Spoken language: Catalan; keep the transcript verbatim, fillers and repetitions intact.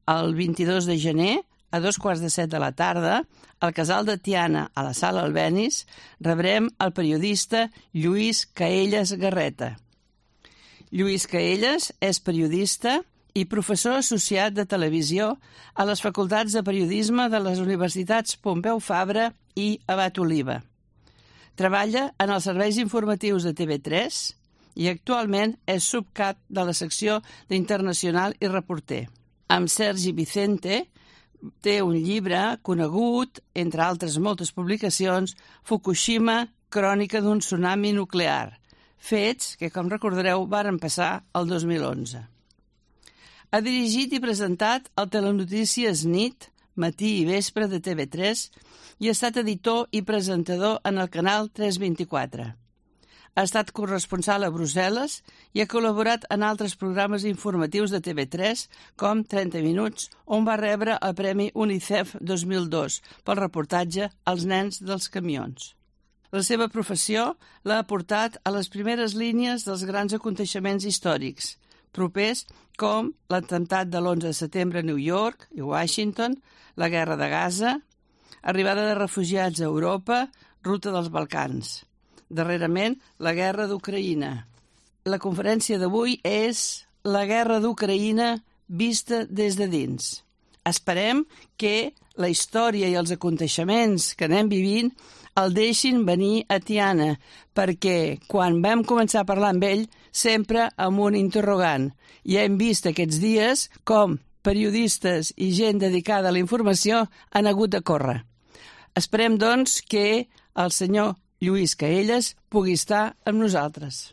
El vint-i-dos de gener, a dos quarts de set de la tarda, al Casal de Tiana, a la Sala Albéniz, rebrem el periodista Lluís Caelles Garreta. Lluís Caelles és periodista i professor associat de televisió a les facultats de periodisme de les universitats Pompeu Fabra i Abat Oliba. Treballa en els serveis informatius de T V tres i actualment és subcap de la secció d'Internacional i reporter. Amb Sergi Vicente té un llibre conegut, entre altres moltes publicacions, Fukushima, crònica d'un tsunami nuclear, fets que, com recordareu, varen passar el dos mil onze. Ha dirigit i presentat el Telenotícies Nit, matí i vespre de T V tres i ha estat editor i presentador en el canal tres vint-i-quatre. Ha estat corresponsal a Brussel·les i ha col·laborat en altres programes informatius de T V tres, com trenta minuts, on va rebre el Premi UNICEF dos mil dos pel reportatge Els nens dels camions. La seva professió l'ha portat a les primeres línies dels grans aconteixements històrics, propers com l'atemptat de l'onze de setembre a New York i Washington, la guerra de Gaza, arribada de refugiats a Europa, ruta dels Balcans. Darrerament, la guerra d'Ucraïna. La conferència d'avui és la guerra d'Ucraïna vista des de dins. Esperem que la història i els aconteixements que anem vivint el deixin venir a Tiana, perquè quan vam començar a parlar amb ell, sempre amb un interrogant. I hem vist aquests dies com periodistes i gent dedicada a la informació han hagut de córrer. Esperem, doncs, que el senyor Lluís Caelles pugui estar amb nosaltres.